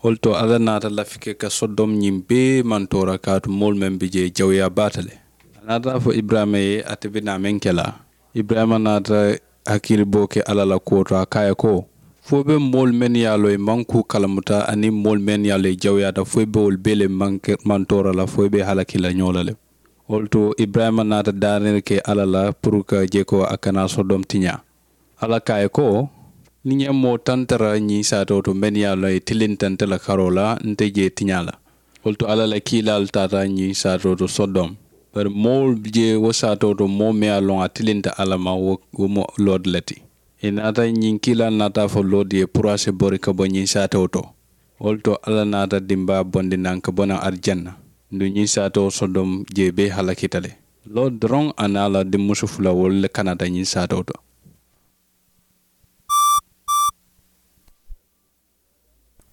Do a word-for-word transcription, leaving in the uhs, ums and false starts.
Wo le to alla naata lafi ke ka sodom ñiŋ bee mantoora kaatu moolu meŋ be jee jawuyaa baata le. A naata a fo iburayima ye ate be naa meŋ ke la. Iburayima naata hakkili boo ke alla la kuwo to a ko a ye ko, fo i be moolu mennu ye a loŋ i maŋ kuu kalamuta aniŋ moolu mennu ye a loŋ i jawuyaata fo i be wolu bee le mantoora la fo i be i halaki la ñoo la le. Wo le to iburayima naata daaniri ke alla la puru ka je ko a kana sodom tiñaa. Alla ko a ye ko, niŋ ŋa moo tantara ñiŋ saatoo to mennu ye a loŋ i tilinta nte la karoo la nte jee tiñaa la. Wo le to alla la kiilaalu taata ñiŋ saatoo to sodom. Bari moo je wo saatoo to moo meŋ ye a loŋ a tilinta alla ma wo mu loodi le ti. Ì naata ñiŋ kiilaalu naata a fo loodi ye puru a si bori ka bo ñiŋ saatoo to. Wo le to alla naata dimbaa bondi naŋ ka bo naŋ arijanna. Nduŋ ñiŋ saatoo sodom jee bee halakita le. Loodi doroŋ a niŋ a la dimmusu fula wolu le kanata ñiŋ saatoo to.